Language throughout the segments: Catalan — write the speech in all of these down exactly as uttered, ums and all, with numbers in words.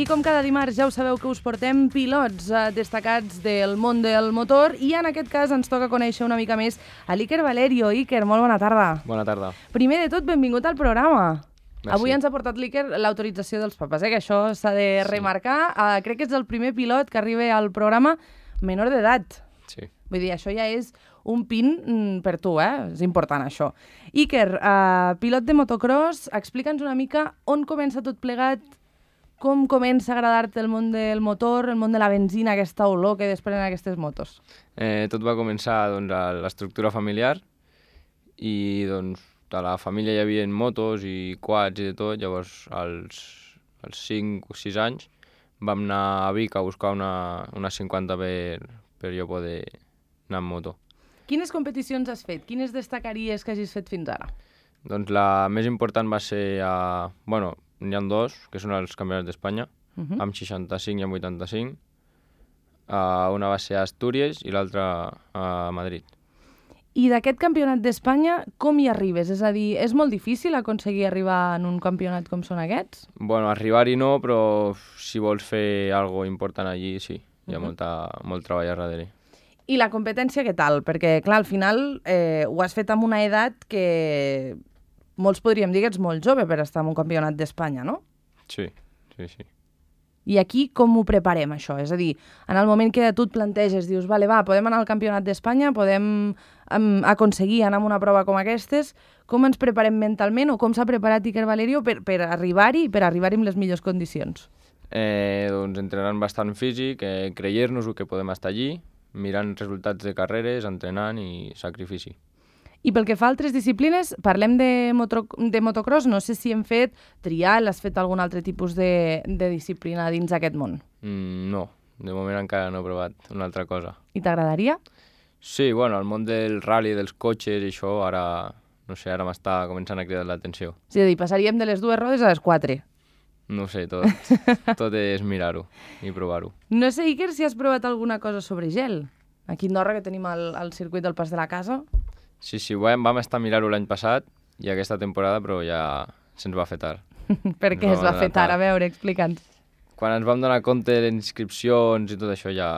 I com cada dimarts ja ho sabeu que us portem pilots eh, destacats del món del motor i en aquest cas ens toca conèixer una mica més a l'Iker Valerio. Iker, molt bona tarda. Bona tarda. Primer de tot, benvingut al programa. Merci. Avui ens ha portat l'Iker l'autorització dels papes, eh? Que això s'ha de remarcar. Sí. Uh, crec que és el primer pilot que arriba al programa menor d'edat. Sí. Vull dir, això ja és un pin mm, per tu, eh? És important, això. Iker, uh, pilot de motocross, explica'ns una mica on comença tot plegat, com comença a agradar-te el món del motor, el món de la benzina, aquesta olor que desprenen aquestes motos? Eh, tot va començar doncs, a l'estructura familiar i doncs, a la família hi havia motos i quads i de tot. Llavors, als, als cinc o sis anys, vam anar a Vic a buscar una, una cinquanta per, per jo poder anar amb moto. Quines competicions has fet? Quines destacaries que hagis fet fins ara? Doncs la més important va ser a... Bueno, n'hi ha dos, que són els campionats d'Espanya, uh -huh. amb seixanta-cinc i amb vuitanta-cinc. Uh, una va ser a Astúries i l'altra a Madrid. I d'aquest campionat d'Espanya, com hi arribes? És a dir, és molt difícil aconseguir arribar en un campionat com són aquests? Bueno, arribar-hi no, però si vols fer alguna important allí, sí. Hi ha uh -huh. molta, molt treball a darrere. I la competència què tal? Perquè, clar, al final eh, ho has fet amb una edat que molts podríem dir que ets molt jove per estar en un campionat d'Espanya, no? Sí, sí, sí. I aquí com ho preparem, això? És a dir, en el moment que tu et planteges, dius, vale, va, podem anar al campionat d'Espanya, podem um, aconseguir anar a una prova com aquestes, com ens preparem mentalment o com s'ha preparat Iker Valerio per, per arribar-hi i per arribar-hi amb les millors condicions? Eh, doncs entrenant bastant físic, eh, creient-nos que podem estar allí, mirant resultats de carreres, entrenant i sacrifici. I pel que fa a altres disciplines, parlem de, moto, de motocross, no sé si hem fet trial, has fet algun altre tipus de, de disciplina dins aquest món? Mm, no, de moment encara no he provat una altra cosa. I t'agradaria? Sí, bueno, el món del rally, dels cotxes i això, ara, no sé, ara m'està començant a cridar l'atenció. És a dir, passaríem de les dues rodes a les quatre. No sé, tot, tot és mirar-ho i provar-ho. No sé, Iker, si has provat alguna cosa sobre gel. Aquí a Andorra, que tenim el, el circuit del Pas de la Casa. Sí, sí, vam, vam estar a mirar-ho l'any passat i aquesta temporada, però ja se'ns va fer tard. Per què es va fer tard? A veure, explica'ns. Quan ens vam donar compte de les inscripcions i tot això ja,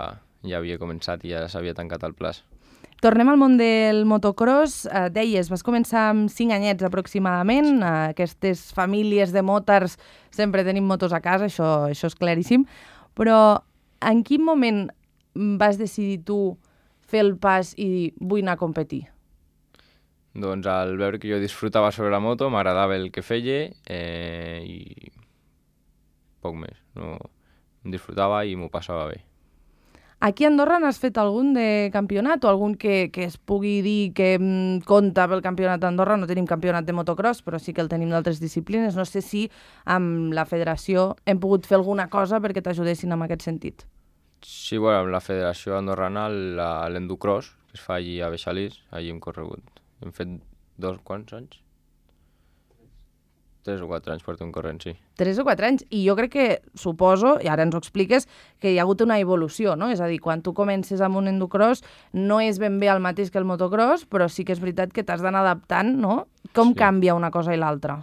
ja havia començat i ja s'havia tancat el plaç. Tornem al món del motocross. Eh, deies, vas començar amb cinc anyets aproximadament. Eh, aquestes famílies de motars sempre tenim motos a casa, això, això és claríssim. Però en quin moment vas decidir tu fer el pas i dir, vull anar a competir? Doncs al veure que jo disfrutava sobre la moto, m'agradava el que feia eh, i poc més. No, em disfrutava i m'ho passava bé. Aquí a Andorra n'has fet algun de campionat o algun que, que es pugui dir que mm, compta pel campionat d'Andorra? No tenim campionat de motocross, però sí que el tenim d'altres disciplines. No sé si amb la federació hem pogut fer alguna cosa perquè t'ajudessin en aquest sentit. Sí, bueno, amb la federació andorrana, l'endocross, que es fa allí a Beixalís, allí hem corregut. Hem fet dos, quants anys? Tres o quatre anys portem corrent, sí. Tres o quatre anys. I jo crec que, suposo, i ara ens ho expliques, que hi ha hagut una evolució, no? És a dir, quan tu comences amb un endocross no és ben bé el mateix que el motocross, però sí que és veritat que t'has d'anar adaptant, no? Com sí. Canvia una cosa i l'altra?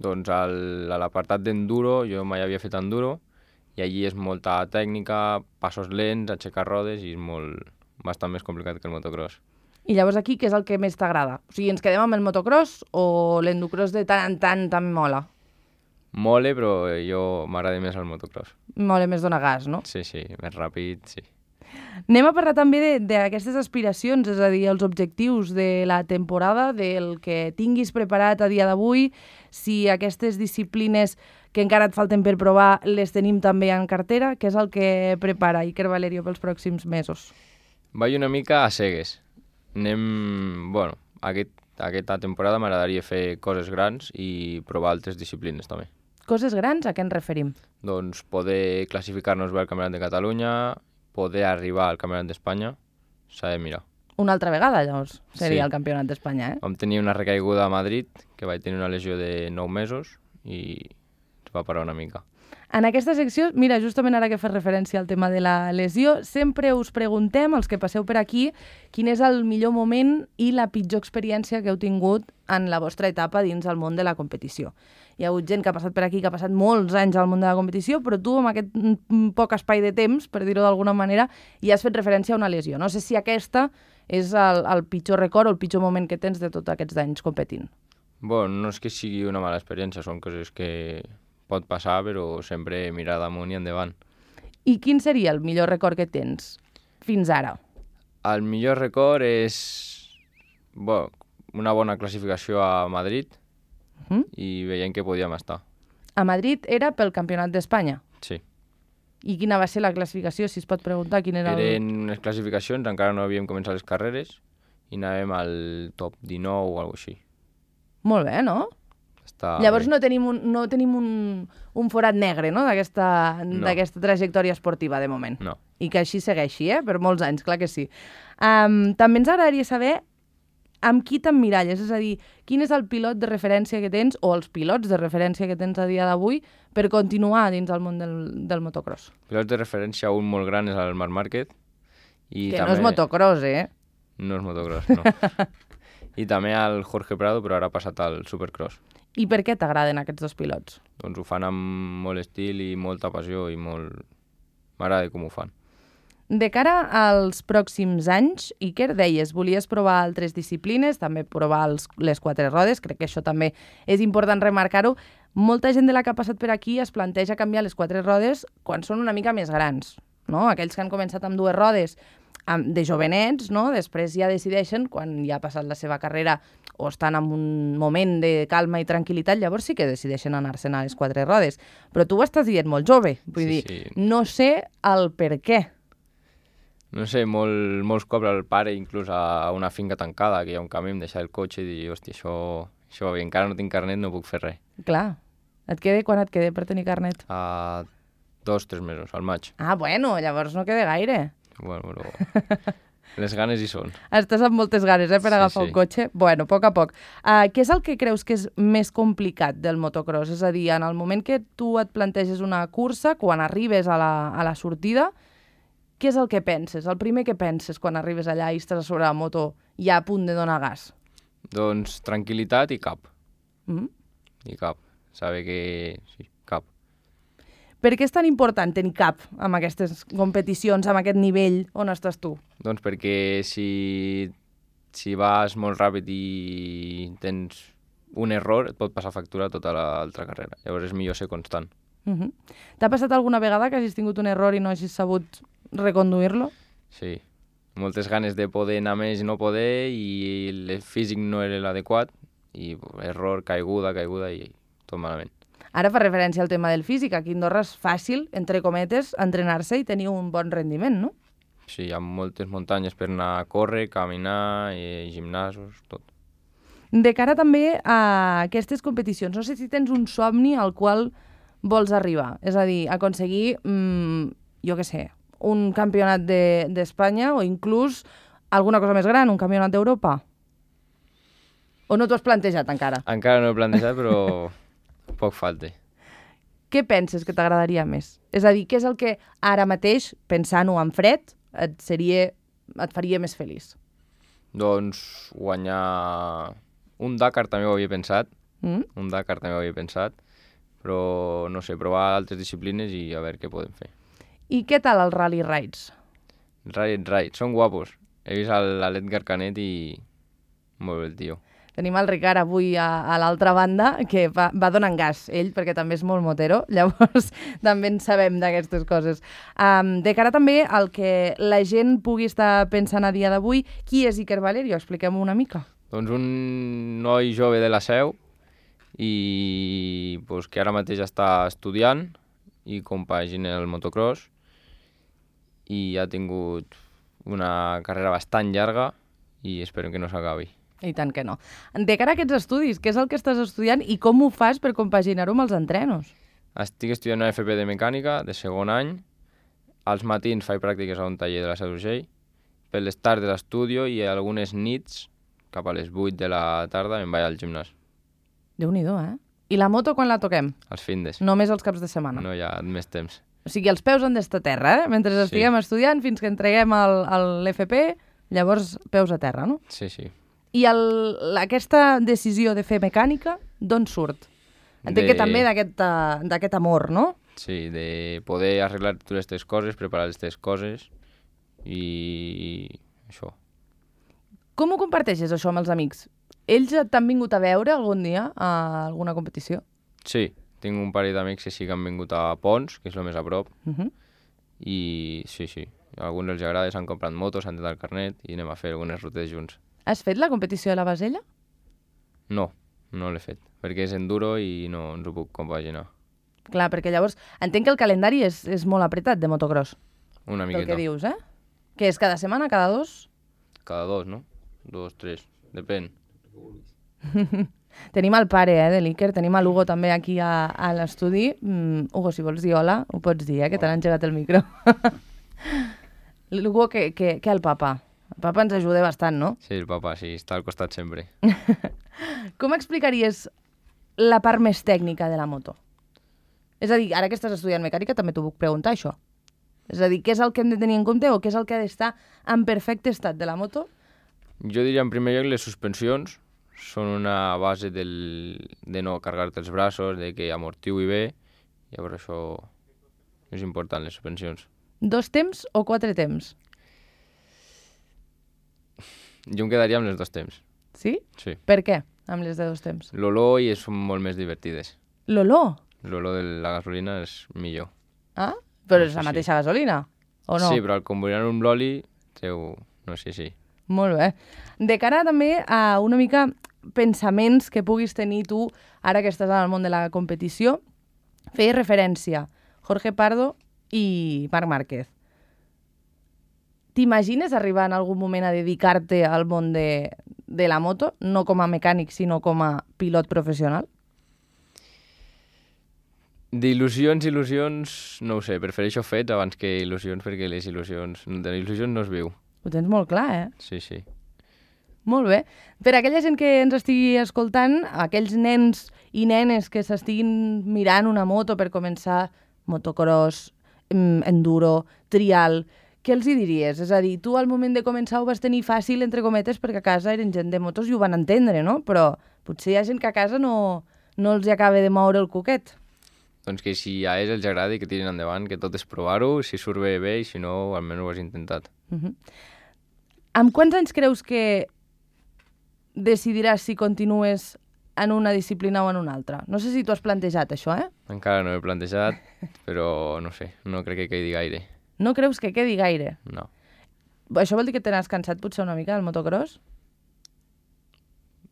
Doncs al, a l'apartat d'enduro, jo mai havia fet enduro, i allí és molta tècnica, passos lents, aixecar rodes, i és molt, bastant més complicat que el motocross. I llavors aquí, què és el que més t'agrada? O sigui, ens quedem amb el motocross o l'endocross de tant en tant també mola? Mola, però jo m'agrada més el motocross. Mola més donar gas, no? Sí, sí, més ràpid, sí. Anem a parlar també d'aquestes aspiracions, és a dir, els objectius de la temporada, del que tinguis preparat a dia d'avui, si aquestes disciplines que encara et falten per provar les tenim també en cartera, què és el que prepara Iker Valerio pels pròxims mesos? Vaig una mica a cegues. Anem, bueno, aquest, aquesta temporada m'agradaria fer coses grans i provar altres disciplines també. Coses grans, a què ens referim? Doncs poder classificar-nos bé al Campionat de Catalunya, poder arribar al Campionat d'Espanya, s'ha de mirar. Una altra vegada, llavors, seria Sí. el Campionat d'Espanya, eh? Vam tenir una recaiguda a Madrid, que vaig tenir una lesió de nou mesos i es va parar una mica. En aquesta secció, mira, justament ara que fas referència al tema de la lesió, sempre us preguntem, els que passeu per aquí, quin és el millor moment i la pitjor experiència que heu tingut en la vostra etapa dins el món de la competició. Hi ha hagut gent que ha passat per aquí, que ha passat molts anys al món de la competició, però tu, amb aquest poc espai de temps, per dir-ho d'alguna manera, hi has fet referència a una lesió. No sé si aquesta és el, el pitjor record o el pitjor moment que tens de tots aquests anys competint. Bueno, no és que sigui una mala experiència, són coses que pot passar, però sempre mirar damunt i endavant. I quin seria el millor record que tens fins ara? El millor record és bueno, una bona classificació a Madrid uh-huh. i veient que podíem estar. A Madrid era pel Campionat d'Espanya? Sí. I quina va ser la classificació, si es pot preguntar? Quin era el... Eren unes classificacions, encara no havíem començat les carreres i anàvem al top dinou o alguna cosa així. Molt bé, no? Està Llavors bé. no tenim un, no tenim un, un forat negre, no?, d'aquesta No. d'aquesta trajectòria esportiva, de moment. No. I que així segueixi, eh?, per molts anys, clar que sí. Um, també ens agradaria saber amb qui t'emmiralles, és a dir, quin és el pilot de referència que tens, o els pilots de referència que tens a dia d'avui, per continuar dins el món del, del motocross. Pilots de referència, un molt gran és el Marc Márquez. I Que també... no és motocross, eh? No és motocross, no. I també el Jorge Prado, però ara ha passat al Supercross. I per què t'agraden aquests dos pilots? Doncs ho fan amb molt estil i molta passió i molt... M'agrada com ho fan. De cara als pròxims anys, Iker, deies, volies provar altres disciplines, també provar els, les quatre rodes, crec que això també és important remarcar-ho. Molta gent de la que ha passat per aquí es planteja canviar les quatre rodes quan són una mica més grans, no? Aquells que han començat amb dues rodes de jovenets, no? Després ja decideixen, quan ja ha passat la seva carrera o estan en un moment de calma i tranquil·litat, llavors sí que decideixen anar-se'n a les quatre rodes. Però tu ho estàs dient molt jove, vull Sí, dir, sí. no sé el per què. No sé, molt, molts cops el pare, inclús a una finca tancada, que hi ha un camí, em deixa el cotxe i dir, hòstia, això, això va bé, encara no tinc carnet, no puc fer res. Clar, et queda quan et queda per tenir carnet? A dos, tres mesos, al maig. Ah, bueno, llavors no queda gaire. Bueno, però les ganes hi són. Estàs amb moltes ganes, eh, per Sí, agafar sí. un cotxe? Bueno, a poc a poc. Uh, què és el que creus que és més complicat del motocross? És a dir, en el moment que tu et planteges una cursa, quan arribes a la, a la sortida, què és el que penses? El primer que penses quan arribes allà i estàs a sobre la moto ja a punt de donar gas? Doncs tranquil·litat i cap. Mm? I cap. Saber que... Sí, cap. Per què és tan important tenir cap amb aquestes competicions, amb aquest nivell on estàs tu? Doncs perquè si, si vas molt ràpid i tens un error, et pot passar factura tota l'altra carrera. Llavors és millor ser constant. Uh -huh. T'ha passat alguna vegada que hagis tingut un error i no hagis sabut reconduir-lo? Sí. Moltes ganes de poder anar més i no poder, i el físic no era l'adequat, i error, caiguda, caiguda, i tot malament. Ara fa referència al tema del físic. Aquí a Andorra és fàcil, entre cometes, entrenar-se i tenir un bon rendiment, no? Sí, hi ha moltes muntanyes per anar a córrer, caminar, i gimnasos, tot. De cara també a aquestes competicions, no sé si tens un somni al qual vols arribar. És a dir, aconseguir, mmm, jo què sé, un campionat d'Espanya de, o inclús alguna cosa més gran, un campionat d'Europa? O no t'ho has plantejat encara? Encara no he plantejat, però poc falta. Què penses que t'agradaria més? És a dir, què és el que ara mateix, pensant-ho en fred, et, seria, et faria més feliç? Doncs guanyar un Dakar també ho havia pensat, Mm? un Dakar també ho havia pensat, però no sé, provar altres disciplines i a veure què podem fer. I què tal els rally rides? Ride, ride, són guapos. He vist l'Edgar Canet i molt bé el tio. Tenim el Ricard avui a, a l'altra banda, que va, va donant gas, ell, perquè també és molt motero, llavors també en sabem d'aquestes coses. Um, de cara també al que la gent pugui estar pensant a dia d'avui, qui és Iker Valerio? Expliquem-ho una mica. Doncs un noi jove de la Seu i pues, que ara mateix està estudiant i compagina el motocross i ha tingut una carrera bastant llarga i esperem que no s'acabi. I tant que no. De cara a aquests estudis, què és el que estàs estudiant i com ho fas per compaginar-ho amb els entrenos? Estic estudiant una F P de mecànica de segon any. Als matins faig pràctiques a un taller de la Seu d'Urgell. Per les tardes estudio i algunes nits, cap a les vuit de la tarda, em vaig al gimnàs. Déu-n'hi-do, eh? I la moto quan la toquem? Els findes. Només els caps de setmana. No hi ha més temps. O sigui, els peus han d'estar a terra, eh? Mentre Sí. estiguem estudiant, fins que entreguem l'F P, llavors peus a terra, no? Sí, sí. I el, aquesta decisió de fer mecànica, d'on surt? Entenc De- que també d'aquest eh, d'aquest amor, no? Sí, de poder arreglar totes aquestes coses, preparar aquestes coses i això. Com ho comparteixes, això, amb els amics? Ells t'han vingut a veure algun dia a alguna competició? Sí, tinc un parell d'amics que sí que han vingut a Pons, que és el més a prop, Uh -huh. i sí, sí, a alguns els agrada, s'han comprat motos, s'han tret el carnet i anem a fer algunes rutes junts. Has fet la competició de la Basella? No, no l'he fet, perquè és enduro i no ens ho puc compaginar. Clar, perquè llavors entenc que el calendari és, és molt apretat de motocross, Una pel miqueta. que dius, eh? Que és cada setmana, cada dos? Cada dos, no? Dos, tres, depèn. Tenim el pare, eh, de l'Iker, tenim a l'Hugo també aquí a, a l'estudi. Mm, Hugo, si vols dir hola, ho pots dir, eh, que t'han engegat el micro. L'Hugo, que, que, que el papa? El papa ens ajuda bastant, no? Sí, el papa, sí, està al costat sempre. Com explicaries la part més tècnica de la moto? És a dir, ara que estàs estudiant mecànica també t'ho puc preguntar, això. És a dir, què és el que hem de tenir en compte o què és el que ha d'estar en perfecte estat de la moto? Jo diria, en primer lloc, les suspensions són una base del, de no carregar-te els braços, de que amortigui bé, llavors això és important, les suspensions. Dos temps o quatre temps? Jo em quedaria amb les dos temps, Sí? sí. Per què, amb les de dos temps? L'olor i són molt més divertides. L'olor? L'olor de la gasolina és millor. Ah? Però és Sí, la sí. mateixa gasolina, o no? Sí, però al combinar-ho amb l'oli, treu... no sé, sí. Molt bé. De cara també a una mica pensaments que puguis tenir tu, ara que estàs en el món de la competició, feies referència Jorge Pardo i Marc Márquez. T'imagines arribar en algun moment a dedicar-te al món de, de la moto, no com a mecànic, sinó com a pilot professional? D'il·lusions, il·lusions, no ho sé, prefereixo fets abans que il·lusions, perquè les il·lusions, de il·lusions no es viu. Ho tens molt clar, eh? Sí, sí. Molt bé. Per a aquella gent que ens estigui escoltant, aquells nens i nenes que s'estiguin mirant una moto per començar motocross, em, enduro, trial, què els hi diries? És a dir, tu al moment de començar ho vas tenir fàcil, entre cometes, perquè a casa eren gent de motos i ho van entendre, no? Però potser hi ha gent que a casa no, no els hi acaba de moure el coquet. Doncs que si a ells els agrada i que tirin endavant, que tot és provar-ho, si surt bé, bé, i si no, almenys ho has intentat. Uh -huh. Amb quants anys creus que decidiràs si continues en una disciplina o en una altra? No sé si t'ho has plantejat, això, eh? Encara no ho he plantejat, però no sé, no crec que quedi gaire. No creus que quedi gaire? No. Això vol dir que te n'has cansat potser una mica del motocross?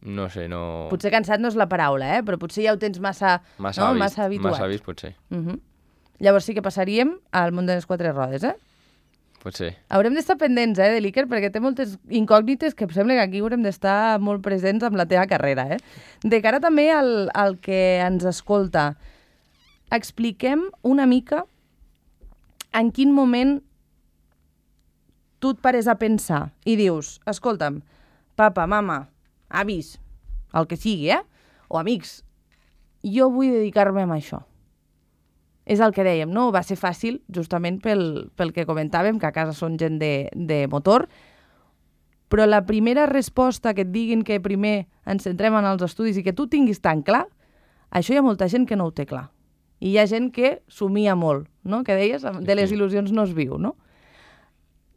No sé, no... Potser cansat no és la paraula, eh? Però potser ja ho tens massa, Massa no? vist, massa habituat. massa vist, potser. Uh -huh. Llavors sí que passaríem al món de les quatre rodes, eh? Potser. Haurem d'estar pendents, eh, de l'Iker, perquè té moltes incògnites que em sembla que aquí haurem d'estar molt presents amb la teva carrera, eh? De cara també al, al que ens escolta, expliquem una mica en quin moment tu et pares a pensar i dius, escolta'm, papa, mama, avis, el que sigui, eh? O amics, jo vull dedicar-me a això. És el que dèiem, no? Va ser fàcil, justament pel, pel que comentàvem, que a casa són gent de, de motor, però la primera resposta que et diguin que primer ens centrem en els estudis i que tu tinguis tan clar, això hi ha molta gent que no ho té clar. I hi ha gent que somia molt, no? Que deies, de les il·lusions no es viu, no?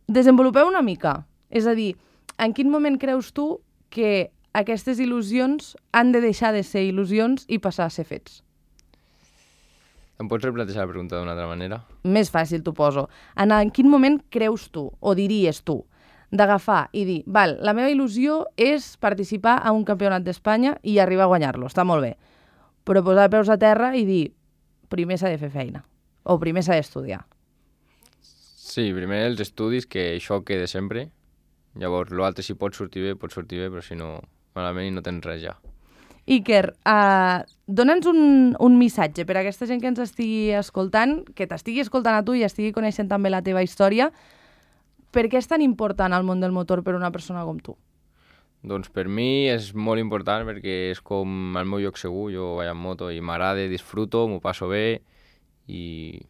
Desenvolupeu una mica. És a dir, en quin moment creus tu que aquestes il·lusions han de deixar de ser il·lusions i passar a ser fets? Em pots replantejar la pregunta d'una altra manera? Més fàcil t'ho poso. En, en quin moment creus tu, o diries tu, d'agafar i dir, val, la meva il·lusió és participar a un campionat d'Espanya i arribar a guanyar-lo, està molt bé. Però posar peus a terra i dir, primer s'ha de fer feina, o primer s'ha d'estudiar. Sí, primer els estudis, que això quede sempre. Llavors, l'altre si pot sortir bé, pot sortir bé, però si no, malament i no tens res ja. Iker, uh, dona'ns un, un missatge per a aquesta gent que ens estigui escoltant, que t'estigui escoltant a tu i estigui coneixent també la teva història. Per què és tan important el món del motor per a una persona com tu? Doncs per mi és molt important perquè és com el meu lloc segur, jo vaig amb moto i m'agrada, disfruto, m'ho passo bé i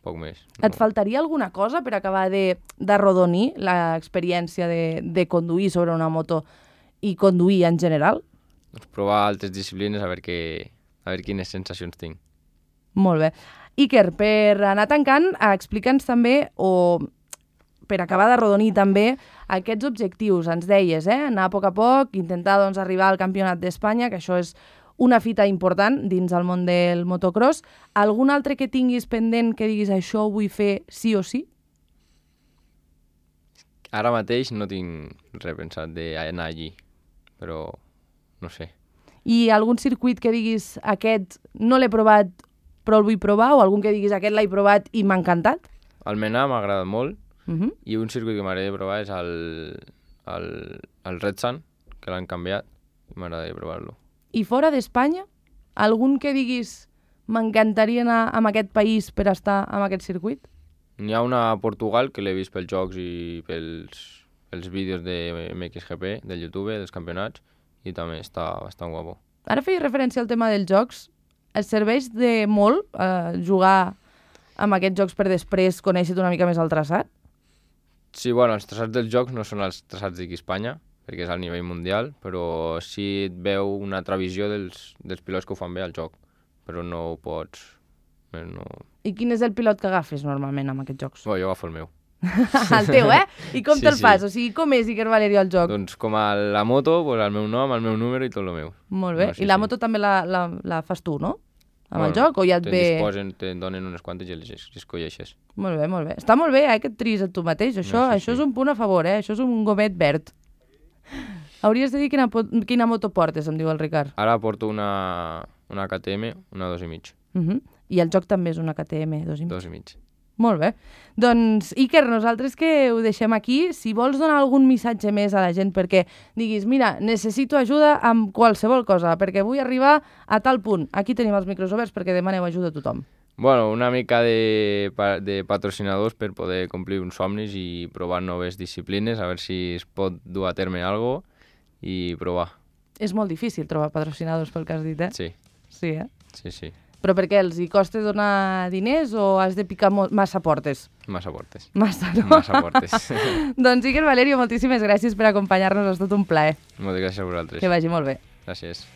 poc més. No. Et faltaria alguna cosa per acabar de, de rodonir l'experiència de, de conduir sobre una moto i conduir en general? Doncs provar altres disciplines a veure, què, a veure quines sensacions tinc. Molt bé. Iker, per anar tancant, explica'ns també, o per acabar de rodonir també, aquests objectius. Ens deies, eh? Anar a poc a poc, intentar doncs, arribar al Campionat d'Espanya, que això és una fita important dins el món del motocross. Algun altre que tinguis pendent que diguis això ho vull fer sí o sí? Ara mateix no tinc res pensat d'anar allí, però no sé. I algun circuit que diguis aquest no l'he provat però el vull provar, o algun que diguis aquest l'he provat i m'ha encantat? El Menar m'ha agradat molt, Uh -huh. i un circuit que m'agradaria provar és el, el, el Red Sun, que l'han canviat, i m'agradaria provar-lo. I fora d'Espanya, algun que diguis m'encantaria anar a aquest país per estar en aquest circuit? N'hi ha una a Portugal que l'he vist pels jocs i pels, pels vídeos de M X G P, del YouTube, dels campionats, i també està bastant guapo. Ara feia referència al tema dels jocs. Es serveix de molt eh, jugar amb aquests jocs per després conèixer una mica més el traçat? Sí, bueno, els traçats dels jocs no són els traçats d'aquí a Espanya, perquè és al nivell mundial, però sí et veu una altra visió dels, dels pilots que ho fan bé al joc, però no ho pots... No... I quin és el pilot que agafes normalment amb aquests jocs? Bueno, jo agafo el meu. El teu, eh? I com Sí, te'l sí. fas? O sigui, com és Iker Valerio al joc? Doncs com a la moto, pues el meu nom, el meu número i tot el meu. Molt bé. No, sí, I la sí. moto també la, la, la fas tu, no? Amb el Bueno, joc, o ja et te'n ve... disposen, te'n donen unes quantes i les es- escolleixes. Molt bé, molt bé. Està molt bé, eh, que et triïs a tu mateix. Això, No, sí, això sí. és un punt a favor, eh? Això és un gomet verd. Hauries de dir quina, po- quina moto portes, em diu el Ricard. Ara porto una, una K T M, una dos i mig. Uh -huh. I el joc també és una K T M dos i mig. Dos i mig. Molt bé. Doncs, Iker, nosaltres que ho deixem aquí, si vols donar algun missatge més a la gent perquè diguis, mira, necessito ajuda amb qualsevol cosa, perquè vull arribar a tal punt. Aquí tenim els micros oberts perquè demaneu ajuda a tothom. Bueno, una mica de, pa- de patrocinadors per poder complir uns somnis i provar noves disciplines, a veure si es pot dur a terme alguna cosa i provar. És molt difícil trobar patrocinadors pel que has dit, eh? Sí, Sí, eh? sí, sí. Però per què? Els hi costa donar diners o has de picar mo- massa portes? Massa portes. Massa, no? Massa portes. Doncs Iker Valerio, moltíssimes gràcies per acompanyar-nos, ha estat un plaer. Moltes gràcies a vosaltres. Que vagi molt bé. Gràcies.